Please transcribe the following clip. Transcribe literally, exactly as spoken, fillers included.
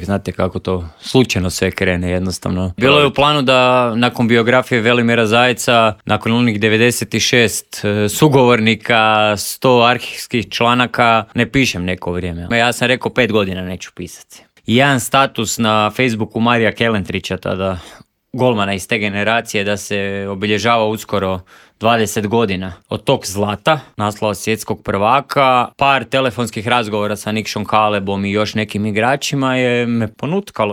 Znate kako to slučajno sve krene jednostavno. Bilo je u planu da nakon biografije Velimira Zajca, nakon onih devedeset šest sugovornika, sto arhivskih članaka, ne pišem neko vrijeme. Ja sam rekao pet godina neću pisati. Jedan status na Facebooku Marija Kelentrića, tada golmana iz te generacije, da se obilježava uskoro dvadeset godina od tog zlata, naslova svjetskog prvaka. Par telefonskih razgovora sa Nikšom Kalebom i još nekim igračima je me ponutkalo.